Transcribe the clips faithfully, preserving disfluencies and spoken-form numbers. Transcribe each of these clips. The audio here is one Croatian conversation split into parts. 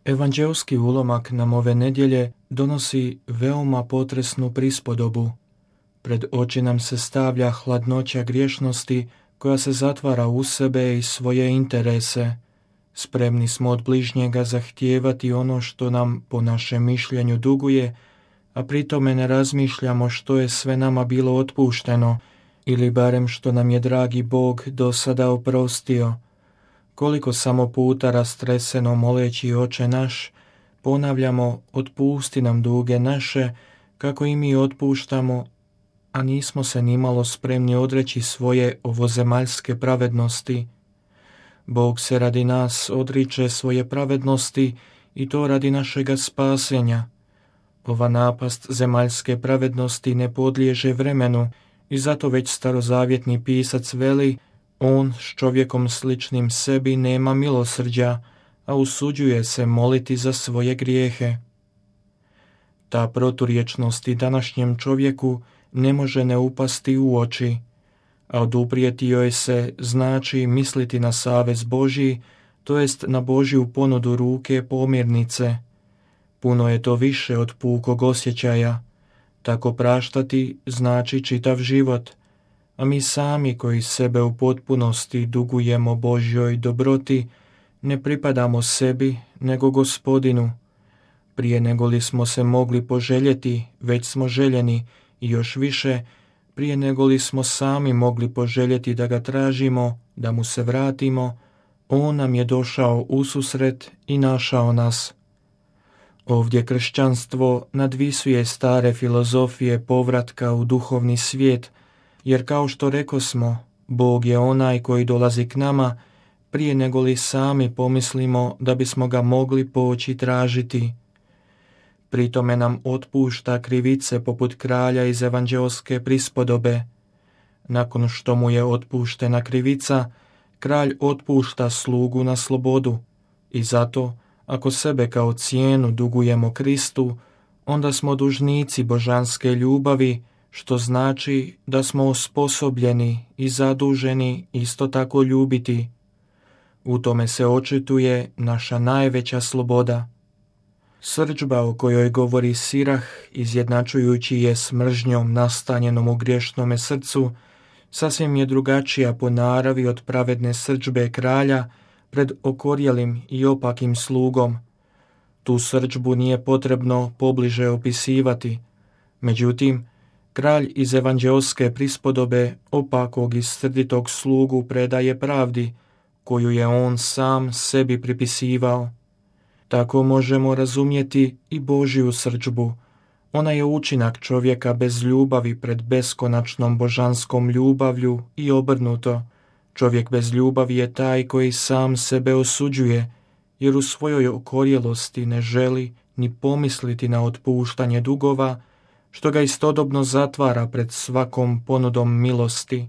Evanđeoski ulomak nam ove nedjelje donosi veoma potresnu prispodobu. Pred oči nam se stavlja hladnoća griješnosti koja se zatvara u sebe i svoje interese. Spremni smo od bližnjega zahtijevati ono što nam po našem mišljenju duguje, a pritome ne razmišljamo što je sve nama bilo otpušteno ili barem što nam je dragi Bog do sada oprostio. Koliko samo puta rastreseno moleći Oče naš, ponavljamo otpusti nam duge naše, kako i mi otpuštamo, a nismo se nimalo spremni odreći svoje ovozemaljske pravednosti. Bog se radi nas odriče svoje pravednosti i to radi našega spasenja. Ova napast zemaljske pravednosti ne podliježe vremenu i zato već starozavjetni pisac veli: on s čovjekom sličnim sebi nema milosrđa, a usuđuje se moliti za svoje grijehe. Ta proturječnost i današnjem čovjeku ne može ne upasti u oči, a oduprijeti joj se znači misliti na savez Božji, to jest na Božju ponudu ruke pomirnice. Puno je to više od pukog osjećaja. Tako praštati znači čitav život, a mi sami koji sebe u potpunosti dugujemo Božjoj dobroti, ne pripadamo sebi nego Gospodinu. Prije nego li smo se mogli poželjeti, već smo željeni, i još više, prije nego li smo sami mogli poželjeti da ga tražimo, da mu se vratimo, on nam je došao ususret i našao nas. Ovdje kršćanstvo nadvisuje stare filozofije povratka u duhovni svijet, jer kao što rekosmo, Bog je onaj koji dolazi k nama prije nego li sami pomislimo da bismo ga mogli poći tražiti. Pritome nam otpušta krivice poput kralja iz evanđeoske prispodobe. Nakon što mu je otpuštena krivica, kralj otpušta slugu na slobodu i zato, ako sebe kao cijenu dugujemo Kristu, onda smo dužnici božanske ljubavi, što znači da smo osposobljeni i zaduženi isto tako ljubiti. U tome se očituje naša najveća sloboda. Srdžba o kojoj govori Sirah, izjednačujući je s mržnjom nastanjenom u griješnome srcu, sasvim je drugačija po naravi od pravedne srdžbe kralja pred okorjelim i opakim slugom. Tu srdžbu nije potrebno pobliže opisivati. Međutim, kralj iz evanđeoske prispodobe opakog i srditog slugu predaje pravdi, koju je on sam sebi pripisivao. Tako možemo razumjeti i Božju srdžbu. Ona je učinak čovjeka bez ljubavi pred beskonačnom božanskom ljubavlju i obrnuto. Čovjek bez ljubavi je taj koji sam sebe osuđuje, jer u svojoj okorjelosti ne želi ni pomisliti na otpuštanje dugova, što ga istodobno zatvara pred svakom ponudom milosti.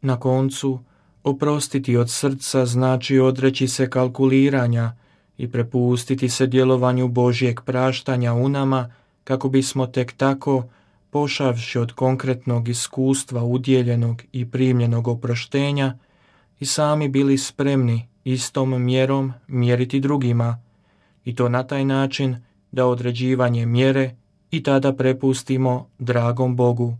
Na koncu, oprostiti od srca znači odreći se kalkuliranja i prepustiti se djelovanju Božjeg praštanja u nama, kako bismo tek tako, pošavši od konkretnog iskustva udjeljenog i primljenog oproštenja, i sami bili spremni istom mjerom mjeriti drugima, i to na taj način da određivanje mjere i tada prepustimo dragom Bogu.